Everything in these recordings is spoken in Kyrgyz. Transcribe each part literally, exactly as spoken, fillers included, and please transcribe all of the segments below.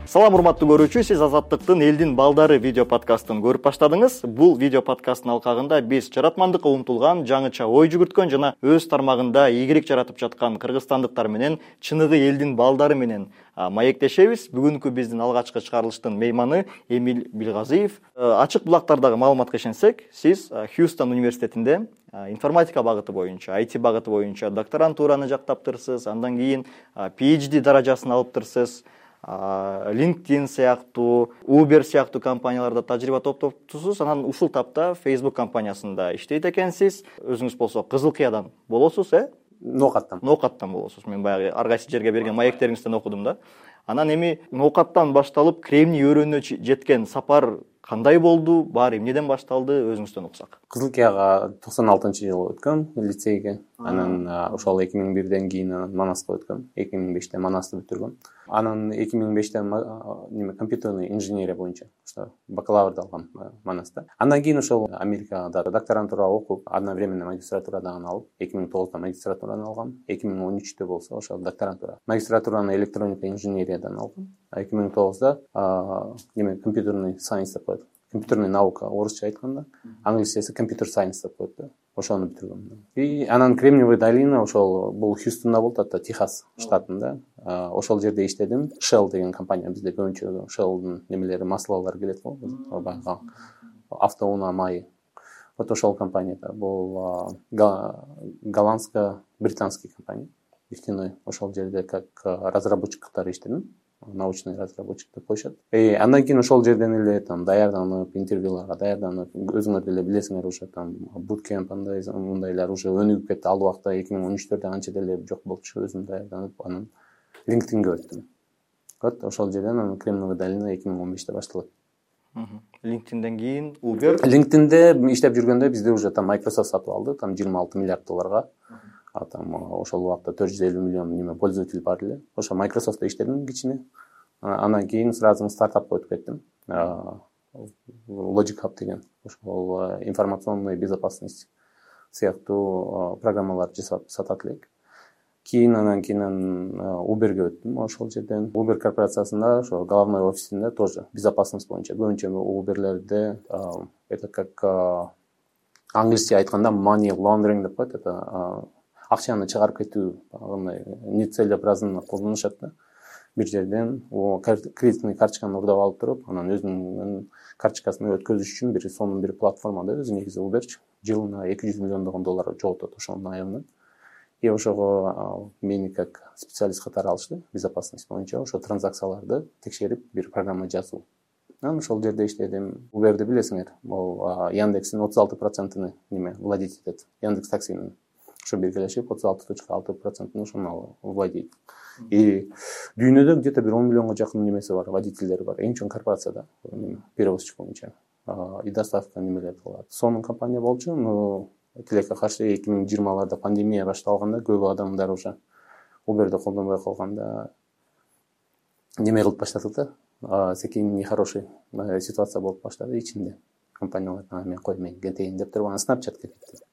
Салам урматтуу көрүүчү, сиз Азаттыктын элдин балдары видео подкастын көрүп баштадыңыз. Бул видео подкасттын алкагында биз жаратмандыкка умтулган, жаңыча ой жүгүрткөн жана өз тармагында ийгилик жаратып жаткан кыргызстандыктар менен чыныгы элдин балдары менен маектешебиз. Бүгүнкү биздин алгачкы чыгарылыштын мейманы Эмиль Билгазиев. Ачык булактардагы маалыматка ишенсек, сиз Хьюстон университетинде информатика багыты боюнча, ай ти багыты боюнча докторантураны жактаптырсыз, андан кийин пи эйч ди даражасын алыптырсыз. LinkedIn сыяктуу, Uber сыяктуу компанияларда тажрыйба топтоптусуз. Анан ушул тапта Facebook компаниясында иштейт экенсиз. Өзүңүз болсо Кызыл Кыядан болосуз, э? Ноокаттан. Ноокаттан болосуз. Мен баягы ар кайсы жерге берген маектериңизден окудум да. Анан эми Ноокаттан башталып Кремний өрөөнүнө жеткен сапар кандай болду? Баары эмнеден башталды? Өзүңүздөн уксак. Кызыл Кыяга токсон алтынчы жылы өткөм лицейге. Анан ошол эки миң бирден кийин Манаска өткөм. эки миң беште Манасты бүтүргөм. Анан эки миң беште неме компьютерный инженерия боюнча ошо бакалаврды алгам Манаста. Андан кийин ошол Америкада докторантура окуп, одновременно магистратура дагы алып, эки миң тогузда магистратураны алгам. эки миң он үчтө болсо ошол докторантура. Магистратураны электроника инженериядан алгам. эки миң тогузда неме компьютерный science деп коет. Компьютерный наука орусча айтканда, англисчеси computer science деп коет да. Ошону бүтүргөм. И анан Кремниевая долина ошол бул Хьюстонда болот, ата Техас штатында. Ошол жерде иштедим. Shell деген компания, бизде көбүнчө Shell'дун немелери, маслалар келет го, баягы автоунаа майы. Вот ошол компанияда бул голландско-британский компания. Нефтяной. Ошол жерде как разработчик катары иштедим. Научный разработчик деп коюшат. И андан кийин ошол жерден эле там даярданып, интервьюларга даярданып, өзүңөр деле билесиңер уже там буткемп андай мындайлар уже өнүгүп кетти. Ал убакта эки миң он үчтөрдө анча деле жок болчу, өзүм даярданып, анан LinkedInге өттүм. Вот ошол жерден анан Кремниевая долина эки миң он беште башталат. LinkedIndен кийин Uber. LinkedInде иштеп жүргөндө бизде уже там Microsoft сатып алды, там жыйырма алты миллиард долларга. А там ошол убакта төрт жүз элүү миллион неме пользователь бар эле. Ошо Microsoft'та иштедим кичине. Андан кийин сразу стартапка өтүп кеттим. Logic Hub деген ошол информационный безопасность сыяктуу программалар жасап сатат элек. Кийин анан кийин Uberге өттүм. Ошол жерден Uber корпорациясында ошо главный офисинде тоже безопасность боюнча көбүнчө Uber'лерде это как англисче айтканда money laundering деп коет. Это акчаны чыгарып кетүү, андай нецелесообразно колдонушат да. Бир жерден кредитный карточканы урдап алып туруп, анан өзүнүн карточкасын өткөзүш үчүн бир сонун бир платформада өзү негизи Uber жылына эки жүз миллиондогон доллар жоготот ошонун айынан. И ошого мени как специалист катары алышты, безопасность боюнча, ошо транзакцияларды текшерип бир программа жазуу. Анан ошол жерде иштедим. Uber'ди билесиңер, бул Яндекстин отуз алты процентini неме владеть этет. Яндекс таксинин ошо биргелешип отуз алты целых алты процентini ошону владеет. И дүйнөдө где-то бир он миллионго жакын немеси бар, водительдери бар. Эң чоң корпорация да, перевозчик боюнча. И доставка немелер кылат. Сонун компания болчу, но тилекке каршы эки миң жыйырмаларда пандемия башталганда көп адамдар уже Uber'ди колдонбой калганда неме кылып баштадык да. Секин нехороший ситуация болуп баштады ичинде. Компаниялар мен кой мен кетейин деп туруп, анан Snapchat'ке кетти.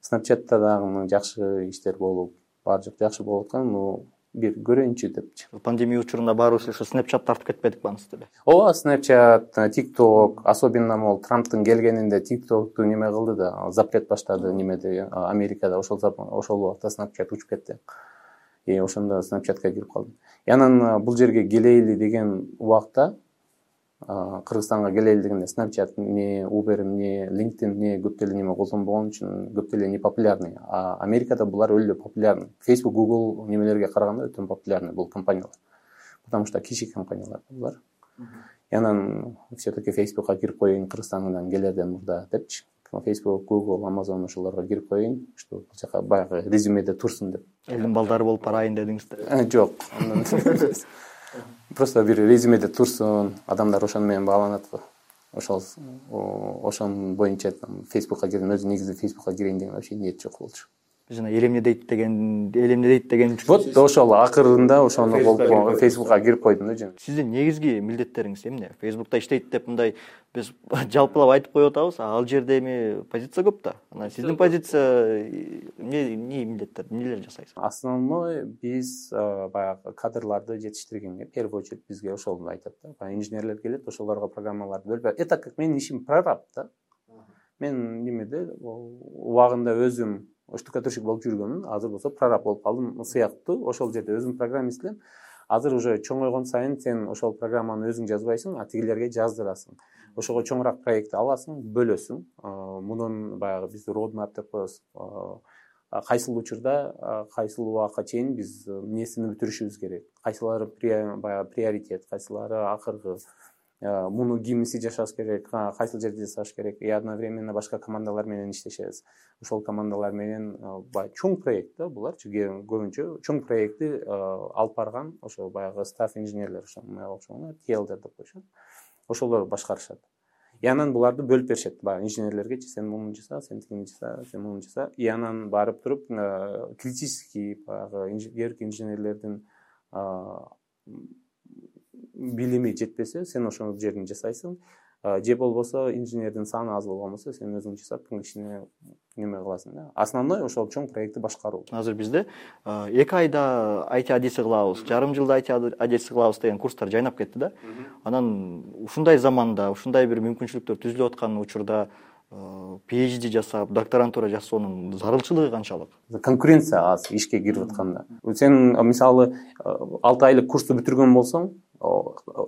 Snapchat'та дагы жакшы иштер болуп, бар жок жакшы болуп аткан, но бир көрөйүнчү депчи. Пандемия учурунда баарыбыз ушу Snapchat тартып кетпедик бааңызды эле. Ооба, Snapchat, TikTok, особенно мол Трамптын келгенинде TikTok'ту неме кылды да, запрет баштады немеде, Америкада. Ошол ошол убакта Snapchat учуп кетти. И ошондо Snapchat'ка кирип калдым. И анан бул жерге келейли деген убакта, Кыргызстанга келейли дегенде Snapchat не Uber не LinkedIn не көп деле неме колдонбогон үчүн көп деле не популярный. А Америкада булар өлө популярный. Facebook, Google немелерге караганда өтө популярный бул компаниялар. Потому что кичи компаниялар булар. И анан все-таки Facebook'ка кирип коеюн Кыргызстандан келерден мурда депчи. Facebook, Google, Amazon ошолорго кирип коеюн, что бул жака баягы резюмеде турсун деп. Элдин балдары болуп барайын дедиңиздер. Жок. Просто бир резюмеде турсун, адамдар ошону менен бааланат го. Ошол ошон боюнча Facebook'ка кирдим, өзү негизи Facebook'ка кирейин деген вообще ниет жок болчу. Жана элемне дейт деген, элемне дейт деген. Вот ошол акырында ошону болуп Facebook'ка кирип койдум да жана. Сиздин негизги милдеттериңиз эмне? Facebook'та иштейт деп мындай биз жалпылап айтып коюп атабыз, ал жерде эми позиция көп да. Анан сиздин позиция эмне эмне милдеттер эмнелер жасайсыз? Основной биз баягы кадрларды жетиштиргенге в первую очередь бизге ошол айтат да. Баягы инженерлер келет, ошолорго программаларды бөлүп, это как менин ишим прораб да. Мен немеде убагында өзүм штукатурщик болуп жүргөмүн, азыр болсо прораб болуп калдым сыяктуу. Ошол жерде өзүм программист элем. Азыр уже чоңойгон сайын сен ошол программаны өзүң жазбайсың, а тигилерге жаздырасың. Ошого чоңураак проект аласың, бөлөсүң. Мунун баягы биз roadmap деп коебуз. Кайсыл учурда, кайсыл убакка чейин биз эмнесини бүтүрүшүбүз керек. Кайсылары баягы приоритет, кайсылары акыркы, муну кимиси жашаш керек, кайсыл жерде жасаш керек. И одновременно башка командалар менен иштешебиз. Ошол командалар менен баягы чоң проект да буларчы, көбүнчө чоң проектти алып барган ошо баягы стаф инженерлер, ошо мага окшогон ти элдер деп коюшат. Ошолор башкарышат. И анан буларды бөлүп беришет. Баягы инженерлерге сен муну жаса, сен тигини жаса, сен муну жаса. И анан барып туруп критический баягы инженер инженерлердин билими жетпесе, сен ошол жерин жасайсың. Же болбосо инженердин саны аз болгон болсо, сен өзүң жасап, кишине неме кыласың да. Основной ошол чоң проектти башкаруу. Азыр бизде эки айда ай ти адиси кылабыз, жарым жылда ай ти адиси кылабыз деген курстар жайнап кетти да. Анан ушундай заманда, ушундай бир мүмкүнчүлүктөр түзүлүп аткан учурда пи эйч ди жасап, докторантура жасоонун зарылчылыгы канчалык? Конкуренция аз ишке кирип атканда. Сен мисалы алты айлык курсту бүтүргөн болсоң,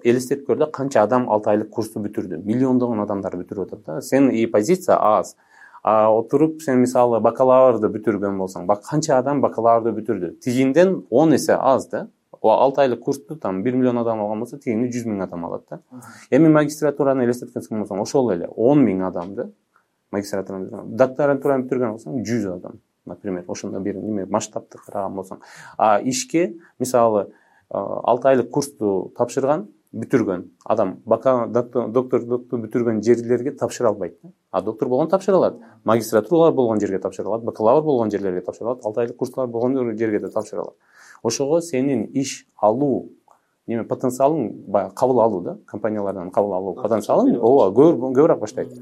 элестетип көр да, канча адам алты айлык курсту бүтүрдү. Миллиондогон адамдар бүтүрүп атат да. Сен и позиция аз. А отуруп сен мисалы бакалаврды бүтүргөн болсоң, бак канча адам бакалаврды бүтүрдү. Тигинден он эсе аз да. алты айлык курсту там бир миллион адам алган болсо, тигини жүз миң адам алат да. Эми магистратураны элестеткенсиң болсоң, ошол эле он миң адамды магистратураны бүтүргөн. Докторантураны бүтүргөн болсоң жүз адам, например, ошондой бир неме масштабты караган болсоң. А ишке мисалы алты айлык курсту тапшырган, бүтүргөн адам доктордукту бүтүргөн жерлерге тапшыра албайт. А доктор болгон тапшыра алат. Магистратуралар болгон жерге тапшыра алат, бакалавр болгон жерлерге тапшыра алат, алты айлык курслар болгон жерге да тапшыра алат. Ошого сенин иш алуу неме потенциалың, баягы кабыл алуу да, компаниялардан кабыл алуу потенциалың ооба көбүрөөк баштайт.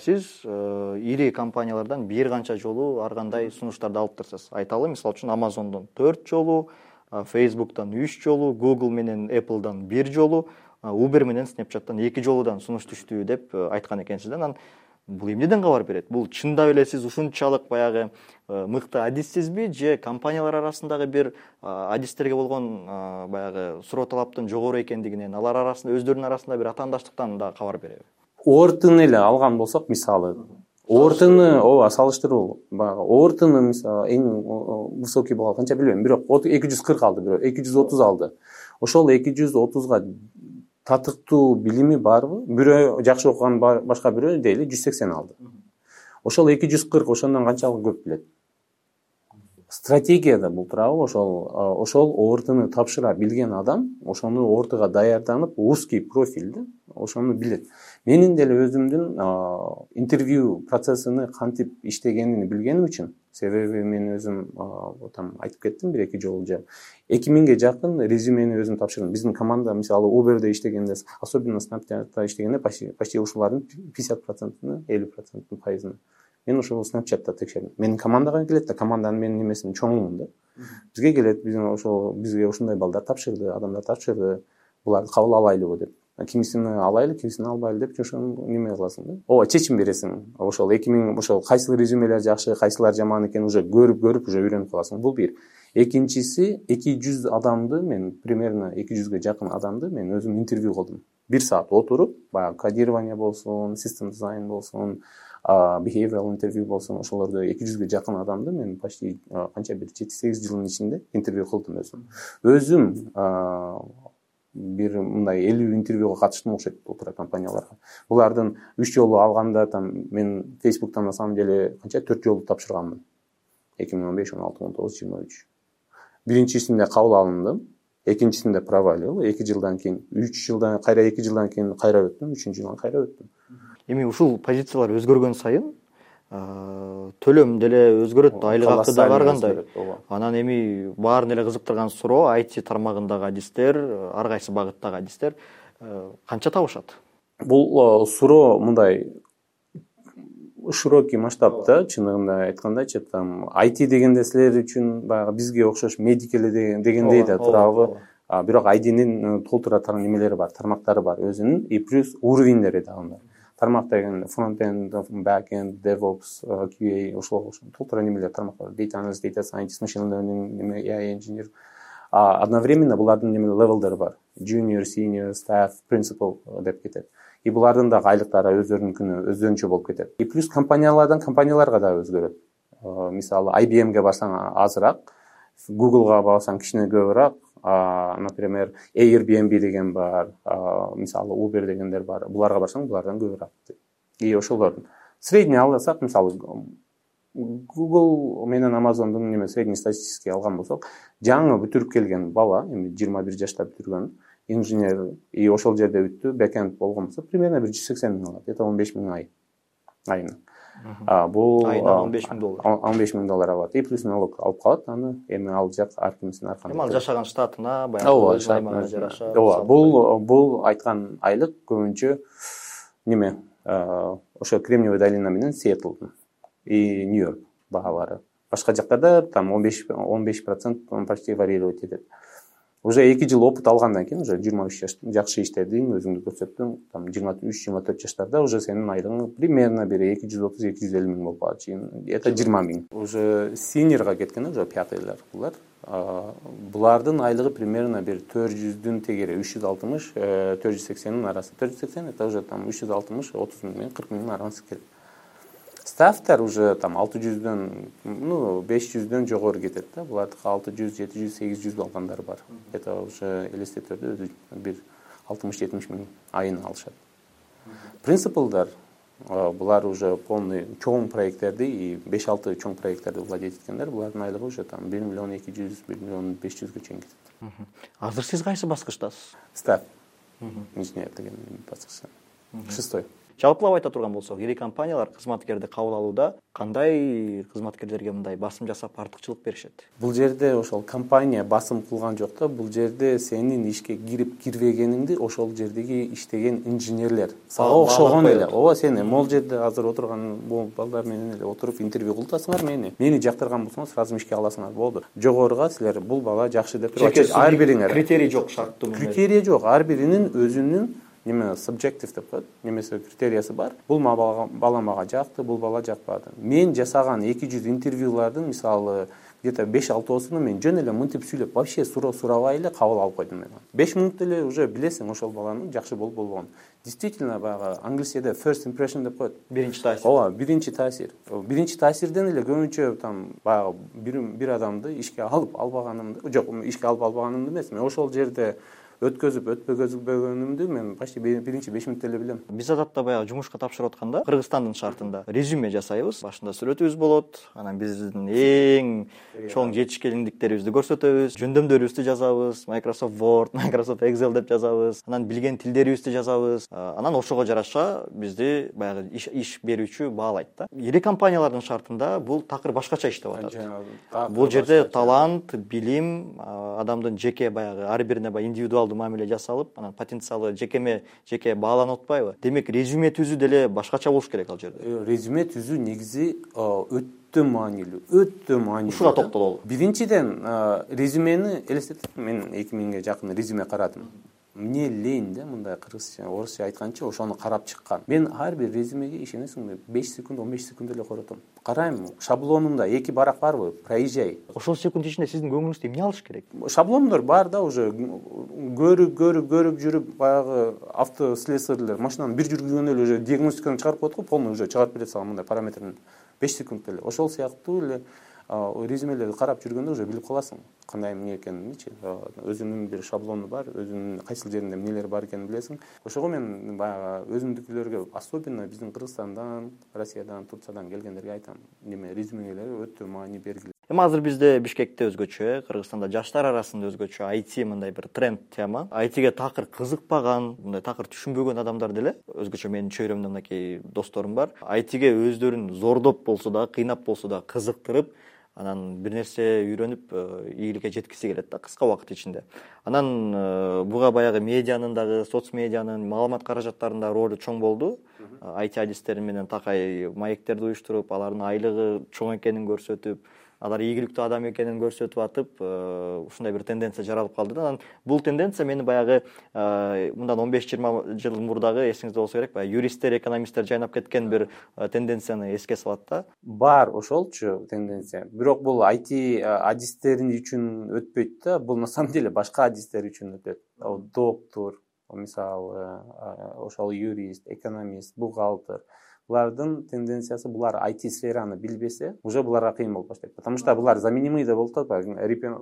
Сиз ири компаниялардан бир канча жолу ар кандай сунуштарды алып турсуз. Айталы, мисалы үчүн Amazon'дон төрт жолу, Facebook'tan үч жолу, Google менен Apple'дан бир жолу, Uber менен Snapchat'tan эки жолудан сунуш түштү деп айткан экенсиз. Анан бул эмнеден кабар берет? Бул чындап эле сиз ушунчалык баягы мыкты адиссизби, же компаниялар арасындагы бир адистерге болгон баягы суроо талаптын жогору экендигинен, алар арасында өздөрүнүн арасында бир атаандаштыктан да кабар береби? Ортун эле алган болсок, мисалы Ортуну, ооба, салыштыруу. Баягы Ортуну мисалы эң высокий болгон канча билбейм, бирок эки жүз кырк алды, бирок эки жүз отуз алды. Ошол эки жүз отузга татыктуу билими барбы? Бирөө жакшы окуган, башка бирөө дейли жүз сексен алды. Ошол эки жүз кырк ошондон канчалык көп билет? Стратегияда бул турабы, ошол ошол ортуну тапшыра билген адам, ошону ортуга даярданып, узкий профилди, ошону билет. Менин деле өзүмдүн интервью процессini кантип иштегенин билгеним үчүн, себеби мен өзүм там айтып кеттим бир эки жолу же эки миңге жакын резюмени өзүм тапшырдым. Биздин команда мисалы Uber'de иштегенде, особенно Snapchat'та иштегенде почти почти ушулардын пятьдесят процентini, элүү процентini пайызын мен ошол Snapchat'та текшердим. Менин командага келет да, команданын менин немесин чоңумун да. Бизге келет, биздин ошол бизге ушундай балдар тапшырды, адамдар тапшырды. Буларды кабыл алайлыбы деп. Кимисини алайлы, кимисини албайлы деп ошону неме кыласың да. Ооба, чечим бересиң. Ошол эки миң ошол кайсыл резюмелер жакшы, кайсылар жаман экенин уже көрүп-көрүп уже үйрөнүп каласың. Бул бир. Экинчиси, эки жүз адамды мен примерно эки жүзгө жакын адамды мен өзүм интервью кылдым. бир саат отуруп, баягы кодирование болсун, систем дизайн болсун, behavioral интервью болсун, ошолорду эки жүзгө жакын адамды мен почти канча бир жети сегиз жылдын ичинде интервью кылдым өзүм. Өзүм бир мындай элүү интервьюга катыштым окшойт бул тура компанияларга. Булардын үч жолу алганда там мен Facebook'tan на самом деле канча төрт жолу тапшырганмын. эки миң он беш, он алты, он тогуз, жыйырма үч. Биринчисинде кабыл алындым, экинчисинде провалил, эки жылдан кийин, үч жылдан, кайра эки жылдан кийин кайра өттүм, үчүнчү жылдан кайра өттүм. Эми ушул позициялар өзгөргөн сайын төлөм деле өзгөрөт, айлык акы да баргандай. Анан эми баарын эле кызыктырган суроо, ай ти тармагындагы адистер, ар кайсы багыттагы адистер канча табышат? Бул суроо мындай широкий масштабда, чынында айткандачы, там ай ти дегенде силер үчүн баягы бизге окшош медик эле дегендей да турабы. Бирок ай тинин толтура немелери бар, тармактары бар өзүнүн, и плюс уровеньдери да бар. Тармак деген фронт-энд, back-end, DevOps, кью эй, ошол толтура немелер тармак бар. Data analyst, data scientist, machine learning, эй ай engineer. А одновременно булардын неме левелдери бар. Junior, senior, staff, principal деп кетет. И булардын да айлыктары өздөрүнүкүнө өзгөчө болуп кетет. И плюс компаниялардан компанияларга да өзгөрөт. Мисалы ай би эмге барсаң азыраак, Googleга барсаң кичине көбүрөөк, например, Airbnb деген бар, мисалы Uber дегендер бар. Буларга барсаң, булардан көбүрөөк. И ошолордун средний алсак, мисалы Google менен Amazondун неме средний статистический алган болсок, жаңы бүтүрүп келген бала, эми жыйырма бир жашта бүтүргөн инженер, и ошол жерде бүттү, бэкенд болгон болсо, примерно бир жүз сексен миң алат, это он беш миң ай. Айына. А бул айына он беш миң доллар. он беш миң доллар алат. И плюс налог алып калат, аны эми ал жак ар кимдин аркасында. Эми ал жашаган штатына, баягы аймагына жараша. Ооба, бул бул айткан айлык көбүнчө неме, ошо Кремниевая долина менен Сиэтлдун и Нью-Йорк баалары. Башка жактарда там он беш процент почти варьировать этет. Уже эки жыл опыт алгандан кийин, уже жыйырма үч жаш жакшы иштедиң, өзүңдү көрсөттүң, там жыйырма үч жыйырма төрт жаштарда уже сенин айлыгың примерно бир эки жүз отуз эки жүз элүү миң болуп калат. Это жыйырма миң. Уже синьорга кеткен, уже пятыйлар булар. Булардын айлыгы примерно бир төрт жүздүн тегери үч жүз алтымыш төрт жүз сексендин арасы. төрт жүз сексен это уже там үч жүз алтымыш отуз миң кырк миңдин арасы келет. Стафтар уже там алты жүздөн, ну, беш жүздөн жогору кетет да. Булардыкы алты жүз, жети жүз, сегиз жүз алгандар бар. Это уже элестеттерде бир алтымыш жетимиш миң айына алышат. Принципалдар булар уже полный чоң проекттерди и беш алты чоң проекттерди владеть эткендер, булардын айлыгы уже там бир миллион эки жүз, бир миллион беш жүзгө чейин кетет. Азыр сиз кайсы баскычтасыз? Стаф. Инженер деген баскычта. Шестой. Жалпылап айта турган болсок, ири компаниялар кызматкерди кабыл алууда кандай кызматкерлерге мындай басым жасап артыкчылык беришет? Бул жерде ошол компания басым кылган жок да, бул жерде сенин ишке кирип кирбегениңди ошол жердеги иштеген инженерлер сага окшогон эле. Ооба, сен могул жерде азыр отурган бул балдар менен эле отуруп интервью кылтасыңар мени. Мени жактырган болсоңор сразу ишке аласыңар, болду. Жогоруга силер бул бала жакшы деп ар бириңер критерий жок, шарттуу. Критерий жок, ар биринин өзүнүн неме subjective деп коет, немесе критериясы бар. Бул бала мага жакты, бул бала жакпады. Мен жасаган эки жүз интервьюлардын мисалы где-то беш алтысына мен жөн эле мынтип сүйлөп, вообще суроо сурабай эле кабыл алып койдум мен. беш мүнөт эле уже билесиң ошол баланын жакшы болуп болбогонун. Действительно, баягы англисчеде first impression деп коет. Биринчи таасир. Ооба, биринчи таасир. Биринчи таасирден эле көбүнчө там баягы бир бир адамды ишке алып албаганымды, жок, ишке алып албаганымды эмес, мен ошол жерде өткөзүп өтпөгөнүмдү мен почти биринчи беш мүнөттө эле билем. Биз адатта баягы жумушка тапшырып атканда Кыргызстандын шартында резюме жасайбыз. Башында сүрөтүбүз болот, анан биздин эң чоң жетишкендиктерибизди көрсөтөбүз, жөндөмдөрүбүздү жазабыз, Microsoft Word, Microsoft Excel деп жазабыз, анан билген тилдерибизди жазабыз. Анан ошого жараша бизди баягы иш, иш берүүчү баалайт да. Ири компаниялардын шартында бул такыр башкача иштеп атат. Бул жерде талант, билим, адамдын жеке баягы ар бирине баягы индивидуалдуу мамиле жасалып, анан потенциалы жекеме жеке бааланып атпайбы? Демек, резюме түзүү деле башкача болуш керек ал жерде. Резюме түзүү негизи өтө маанилүү, өтө маанилүү. Ушуга токтололу. Биринчиден, резюмени элестетип, мен эки миңге жакын резюме карадым. Мне лень да, мындай кыргызча, орусча айтканча ошону карап чыккан. Мен ар бир резюмеге ишенесиңби, беш секунд, он беш секунд эле коротом. Карайм, шаблонунда эки барак барбы, проезжай. Ошол секунд ичинде сиздин көңүлүңүздү эмне алыш керек? Шаблондор бар да, уже көрүп, көрүп, көрүп жүрүп, баягы автослесарьлер машинаны бир жүргүзгөндө эле уже диагностиканы чыгарып коет го, полный уже чыгарып берет сага мындай параметрин беш секунд эле. Ошол сыяктуу эле резюмелерди карап жүргөндө уже билип каласың кандай эмне экенинчи. Өзүнүн бир шаблону бар, өзүнүн кайсыл жеринде эмнелер бар экенин билесиң. Ошого мен баягы өзүмдүкүлөргө, особенно биздин Кыргызстандан, Россиядан, Турциядан келгендерге айтам, неме резюмелери өтө маани бергиле. Эми азыр бизде Бишкекте өзгөчө, Кыргызстанда жаштар арасында өзгөчө ай ти мындай бир тренд тема. ай тиге такыр кызыкпаган, мындай такыр түшүнбөгөн адамдар деле, өзгөчө менин чөйрөмдө мынакей досторум бар. ай тиге өздөрүн зордоп болсо да, кыйнап болсо да кызыктырып, анан бир нерсе үйрөнүп ийгиликке жеткиси келет да кыска убакыт ичинде. Анан буга баягы медианын дагы, соц медианын, маалымат каражаттарынын да ролу чоң болду. ай ти адистери менен такай маектерди уюштуруп, алардын айлыгы чоң экенин көрсөтүп, алар ийгиликтүү адам экенин көрсөтүп атып, ушундай бир тенденция жаралып калды да. Анан бул тенденция мени баягы мындан он беш жыйырма жыл мурдагы, эсиңизде болсо керек, баягы юристтер, экономисттер жайнап кеткен бир тенденцияны эске салат да. Бар ошолчу тенденция. Бирок бул ай ти адистери үчүн өтпөйт да, бул на самом деле башка адистер үчүн өтөт. Доктор, мисалы, ошол юрист, экономист, бухгалтер. Булардын тенденциясы, булар ай ти сфераны билбесе, уже буларга кыйын болуп баштайт. Потому что булар заменимый да болуп атат.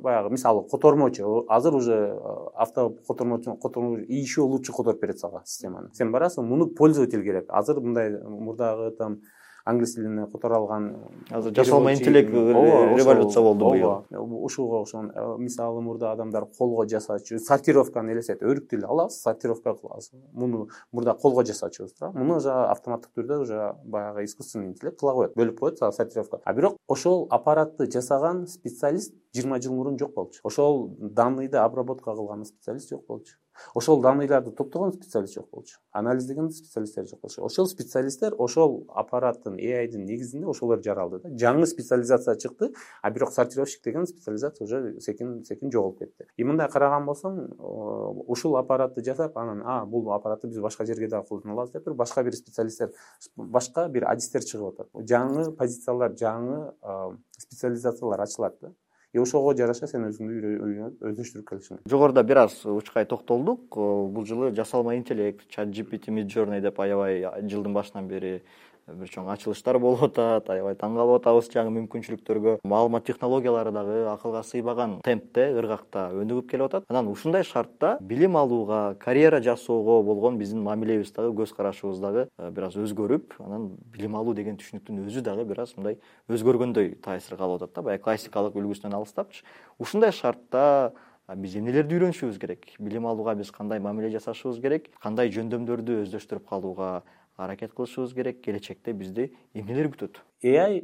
Баягы мисалы котормочу, азыр уже авто котормочу, котормочу еще лучше которуп берет сага системаны. Сен барасың, муну пользователь керек. Азыр мындай мурдагы там англис тилине которо алган азыр жасалма интеллект революция болду быйыл. Ушуга окшогон мисалы мурда адамдар колго жасачу, сортировканы элестет, өрүк тил алабыз, сортировка кылабыз. Муну мурда колго жасачубуз да. Муну уже автоматтык түрдө уже баягы искусственный интеллект кыла коет, бөлүп коет сортировка. А бирок ошол аппаратты жасаган специалист жыйырма жыл мурун жок болчу. Ошол данныйды обработка кылган специалист жок болчу. Ошол данныйларды топтогон специалист жок болчу. Анализдеген специалисттер жок болчу. Ошол специалисттер ошол аппараттын эй айдын негизинде ошолор жаралды да. Жаңы специализация чыкты, а бирок сортировщик деген специализация уже секин секин жоголуп кетти. И мындай караган болсоң, ушул аппаратты жасап, анан а бул аппаратты биз башка жерге да колдоно алабыз деп башка бир специалисттер, башка бир адистер чыгып атат. Жаңы позициялар, жаңы специализациялар ачылат да. И ошого жараша сен өзүңдү үйрөнүп өздөштүрүп келишиң. Жогоруда бир аз учкай токтолдук. Бул жылы жасалма интеллект, чат джи пи ти, Midjourney деп аябай жылдын башынан бери бир чоң ачылыштар болуп атат, аябай таң калып атабыз жаңы мүмкүнчүлүктөргө. Маалымат технологиялары дагы акылга сыйбаган темпте, ыргакта өнүгүп келип атат. Анан ушундай шартта билим алууга, карьера жасоого болгон биздин мамилебиз дагы, көз карашыбыз дагы бир аз өзгөрүп, анан билим алуу деген түшүнүктүн өзү дагы бир аз мындай өзгөргөндөй таасир калып атат да, баягы классикалык үлгүсүнөн алыстапчы. Ушундай шартта биз эмнелерди үйрөнүшүбүз керек? Билим алууга биз кандай мамиле жасашыбыз керек? Кандай жөндөмдөрдү өздөштүрүп калууга аракет кылышыбыз керек? Келечекте бизди эмнелер күтөт? эй ай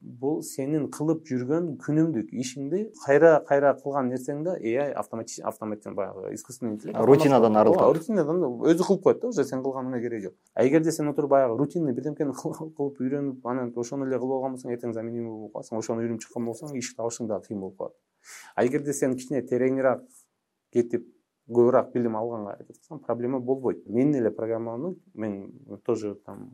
бул сенин кылып жүргөн күнүмдүк ишиңди кайра кайра кылган нерсеңди эй ай автоматически автоматтан баягы искусственный интеллект рутинадан арылтат. Рутинадан өзү кылып коет да, уже сен кылганыңа кереги жок. А эгерде сен отуруп баягы рутинный бирдемкени кылып үйрөнүп, анан ошону эле кылып алган болсоң, эртең заменимый болуп каласың, ошону үйрөнүп чыккан болсоң, иш табышың да кыйын болуп калат. А эгерде сен кичине тереңирээк кетип көбүрөөк билим алганга аракет кылсаң, проблема болбойт. Мен эле программаны мен тоже там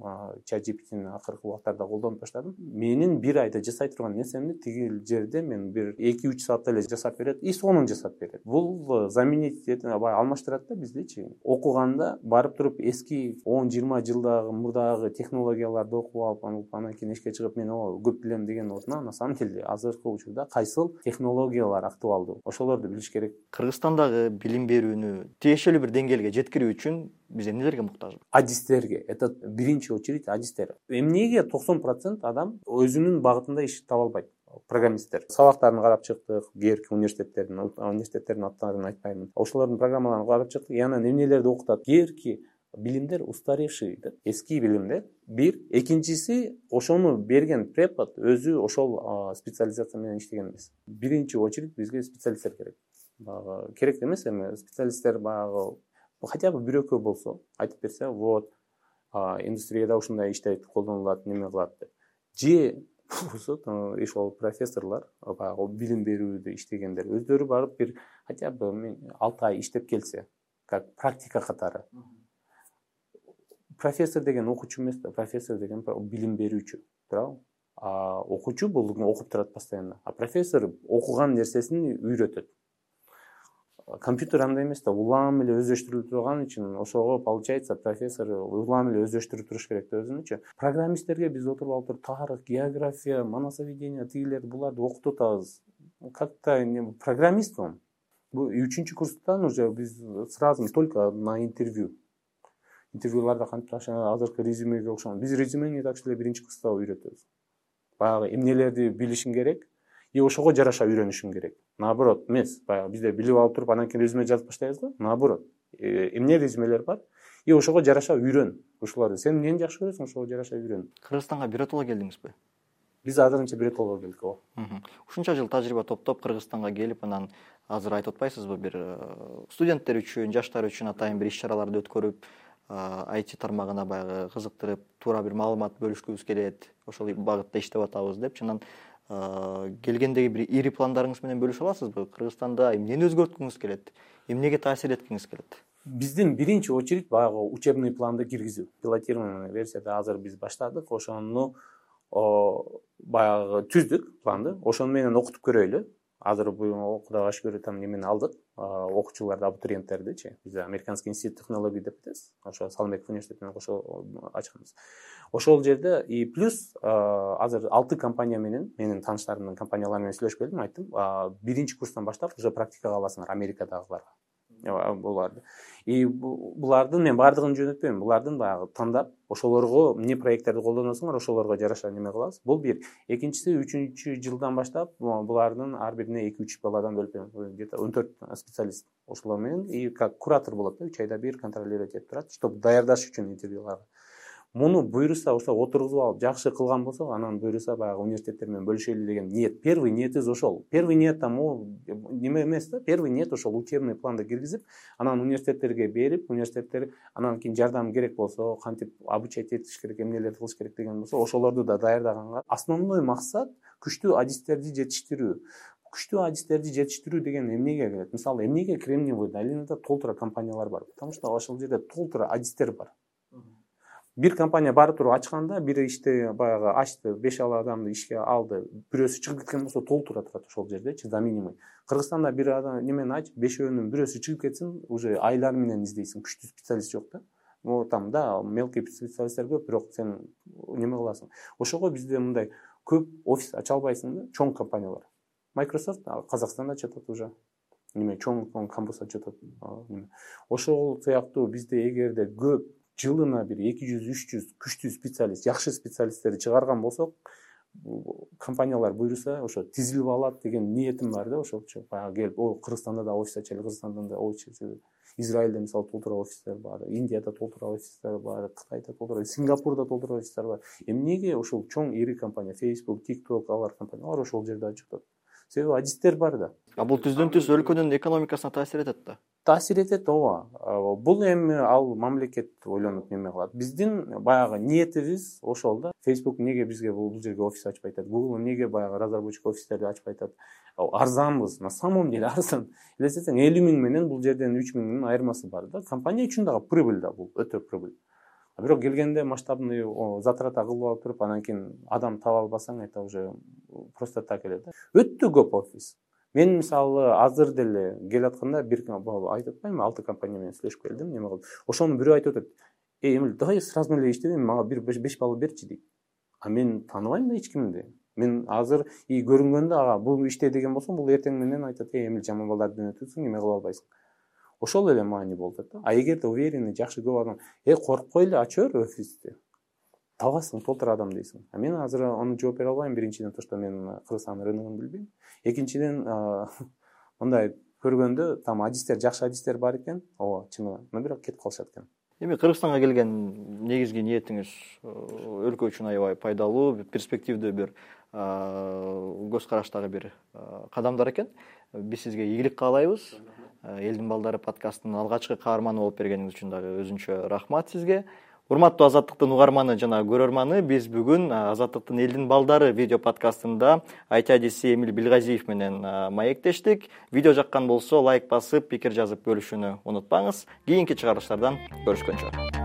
чат джи пи тини акыркы убактарда колдонуп баштадым. Менин бир айда жасай турган нерсемди тиги жерде мен бир эки үч саатта эле жасап берет, и сонун жасап берет. Бул заменить алмаштырат да биздичи. Окуганда барып туруп эски он жыйырма жылдагы мурдагы технологияларды окуп алып, анан кийин эшикке чыгып мен көп билем деген ордуна, на самом деле азыркы учурда кайсыл технологиялар актуалдуу, ошолорду билиш керек. Кыргызстандагы билим берүүнү тиешелүү бир деңгээлге жеткирүү үчүн биз эмнелерге муктажбыз? Адистерге. Это биринчи очередь адистер. Эмнеге токсон процент адам өзүнүн багытында иш таба албайт? Программисттер. Сабактарын карап чыктык, кээки университеттердин, университеттердин аттарын айтпаймын. Ошолордун программаларын карап чыктык, и анан эмнелерди окутат? Кээки билимдер устаревший, эски билимдер. Бир, экинчиси ошону берген препод өзү ошол специализация менен иштеген эмес. Биринчи очередь бизге специалисттер керек. Багы керек эмес эми специалисттер багы хотя бы бир экөө болсо айтып берсе, вот индустрияда ушундай иштейт, колдонулат, неме кылат деп. Же болсо ошол профессорлор багы билим берүүдө иштегендер өздөрү барып бир хотя бы алты ай иштеп келсе, как практика катары. Профессор деген окуучу эмес да, профессор деген билим берүүчү, туурабы? А окуучу бул окуп турат постоянно. А профессор окуган нерсесин үйрөтөт. Компьютер андай эмес да, улам эле өздөштүрүлүп турган үчүн ошого получается профессор улам эле өздөштүрүп туруш керек да өзүнүчү. Программисттерге биз отуруп алып туруп тарых, география, манасоведение, тигилерди буларды окутуп атабыз. Как-то программист он. Бул үчүнчү курстан уже биз сразу только на интервью. Интервьюларда кантип азыркы резюмеге окшогон. Биз резюмени так эле биринчи курста үйрөтөбүз. Баягы эмнелерди билишиң керек, и ошого жараша үйрөнүшүң керек. Наоборот эмес, баягы бизде билип алып туруп анан кийин резюме жазып баштайбыз да. Наоборот, эмне резюмелер бар, и ошого жараша үйрөн. Ушуларды сен эмнени жакшы көрөсүң, ошого жараша үйрөн. Кыргызстанга биротоло келдиңизби? Биз азырынча биротоло келдик. Ооба. Ушунча жыл тажрыйба топтоп Кыргызстанга келип, анан азыр айтып атпайсызбы, бир студенттер үчүн, жаштар үчүн атайын бир иш-чараларды өткөрүп, ай ти тармагына баягы кызыктырып, туура бир маалымат бөлүшкүбүз келет, ошол багытта иштеп атабыз депчи. Анан келгендеги бир ири пландарыңыз менен бөлүшө аласызбы? Кыргызстанда эмнени өзгөрткүңүз келет? Эмнеге таасир эткиңиз келет? Биздин биринчи очередь баягы учебный планды киргизүү. Пилотированный версияда азыр биз баштадык. Ошону баягы түздүк планды. Ошону менен окутуп көрөйлү. Азыр бул Кудайга шүгүр там немени алдык. Окуучуларды, абитуриенттердичи. Биз Американский институт технологий деп атабыз. Ошо Салымбеков университети менен кошо ачканбыз. Ошол жерде и плюс азыр алты компания менен, менин тааныштарымдын компаниялары менен сүйлөшүп келдим, айттым, биринчи курстан баштап уже практикага аласыңар Америкадагыларга. Буларды. И булардын мен бардыгын жөнөтпөйм. Булардын баягы тандап, ошолорго эмне проекттерди колдоносуңар, ошолорго жараша неме кылабыз. Бул бир. Экинчиси, үчүнчү жылдан баштап булардын ар бирине эки үч баладан бөлүп, где-то он төрт специалист ошолор менен и как куратор болот да, үч айда бир контролировать этип турат, чтобы даярдаш үчүн интервьюларга. Муну буйруса, ошо отургузуп алып, жакшы кылган болсок, анан буйруса баягы университеттер менен бөлүшөлү деген ниет. Первый ниетибиз ошол. Первый ниет там неме эмес да, первый ниет ошол учебный планды киргизип, анан университеттерге берип, университеттер анан кийин жардам керек болсо, кантип обучать этиш керек, эмнелерди кылыш керек деген болсо, ошолорду да даярдаганга. Основной максат күчтүү адистерди жетиштирүү. Күчтүү адистерди жетиштирүү деген эмнеге келет? Мисалы, эмнеге Кремниевый долинада толтура компаниялар бар? Потому что ошол жерде толтура адистер бар. Бир компания бары туруп ачканда, бир иште баягы ачты, беш алты адамды ишке алды, бирөөсү чыгып кеткен болсо толтура турат ошол жердечи, заменимый. Кыргызстанда бир адам немени ач, бешөөнүн бирөөсү чыгып кетсин, уже айлар менен издейсиң, күчтүү специалист жок да. Ну там да, мелкий специалисттер көп, бирок сен неме кыласың. Ошого бизде мындай көп офис ача албайсың да, чоң компаниялар. Microsoft Казакстанда ачат уже. Неме чоң кампус ачат. Ошол сыяктуу бизде эгерде көп жылына бир эки жүз үч жүз күчтүү специалист, жакшы специалисттерди чыгарган болсок, компаниялар буйруса, ошо тизилип алат деген ниетим бар да, ошолчу. Баягы келип, о, Кыргызстанда да офис ачайлы, Кыргызстанда да офис ачайлы. Израилде мисалы толтура офистер бар, Индияда толтура офистер бар, Кытайда толтура, Сингапурда толтура офистер бар. Эмнеге ошол чоң ири компания, Facebook, TikTok, алар компаниялар ошол жерде ачыктап? Себеби адистер бар да. А бул түздөн түз өлкөнүн экономикасына таасир этет да. Таасир этет, ооба. Бул эми ал мамлекет ойлонуп неме кылат. Биздин баягы ниетибиз ошол да. Facebook эмнеге бизге бул жерге офис ачпай атат? Google эмнеге баягы разработчик офистерди ачпай атат? Арзанбыз, на самом деле арзан. Элестетсең, элүү миң менен бул жерден үч миңдин айырмасы бар да. Компания үчүн дагы прибыль да бул, өтө прибыль. Бирок келгенде масштабный затрата кылып алып туруп, анан кийин адам таба албасаң, это уже просто так эле да. Өтө көп офис. Мен мисалы азыр деле келатканда бир айтып атпаймынбы, алты компания менен сүйлөшүп келдим, неме кылып. Ошону бирөө айтып атат. Эй, Эмил, давай сразу эле иштебейм, мага бир беш балл берчи дейт. А мен тааныбайм да эч кимди. Мен азыр и көрүнгөндө ага бул иште деген болсом, бул эртең менен айтат, эй, Эмил, жаман балдарды өтөсүң, эме кыла албайсың. Ошол эле маани болот да. А эгерде уверенный, жакшы көп адам, э, коркпой эле ача бер офисти. Табасың, толтура адам дейсиң. А мен азыр аны жооп бере албайм. Биринчиден, то, что мен Кыргызстан рыногун билбейм. Экинчиден, мындай көргөндө там адистер, жакшы адистер бар экен. Ооба, чынында. Но бирок кетип калышат экен. Эми Кыргызстанга келген негизги ниетиңиз өлкө үчүн аябай пайдалуу, перспективдүү бир көз караштагы бир кадамдар экен. Биз сизге ийгилик каалайбыз. Элдин балдары подкастынын алгачкы каарманы болуп бергениңиз үчүн дагы өзүнчө рахмат сизге. Урматтуу Азаттыктын угарманы жана көрөрманы, биз бүгүн Азаттыктын Элдин балдары видео подкастында ай ти адиси Эмил Билгазиев менен маектештик. Видео жаккан болсо лайк басып, пикир жазып бөлүшүүнү унутпаңыз. Кийинки чыгарылыштардан көрүшкөнчө.